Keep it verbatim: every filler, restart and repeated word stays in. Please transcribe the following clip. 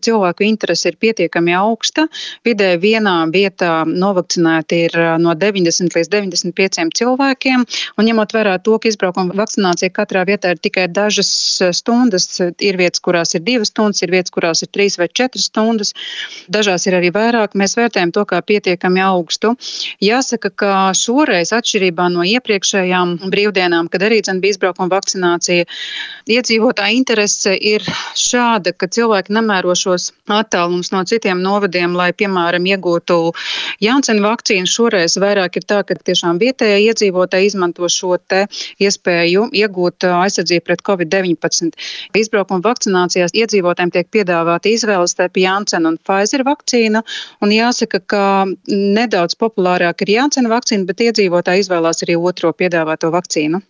cilvēku interese ir pietiekami augsta. Vidēji vienā vietā novakcinēti ir no deviņdesmit līdz deviņdesmit pieciem cilvēkiem, un ņemot vērā to, ka izbraukuma vakcinācija katrā vietā ir tikai dažas stundas, ir vietas, kurās ir divas stundas, ir vietas, kurās ir trīs vai četras stundas, dažās ir arī vairāk, mēs vērtējam to kā pietiekami augstu. Jāsaka, ka šoreiz atšķirībā no iepriekšējām brīvdienām, kad arī dzen bija izbraukuma vakcinācija, iedzīvotāja interese ir šāda, ka cilvēki nemēro šos attālums no citiem novadiem, lai, piemēram, iegūtu Janssen vakcīnu. Šoreiz vairāk ir tā, ka tiešām vietējie iedzīvotāji izmanto šo te iespēju iegūt aizsardzību pret covid deviņpadsmit. Izbraukuma vakcinācijās iedzīvotājiem tiek piedāvāta izvēle starp Janssen un Pfizer vakcīnu, un jāsaka, ka nedaudz populārāk ir Janssen vakcīna, bet iedzīvotāji izvēlās arī otro piedāvāto vakcīnu.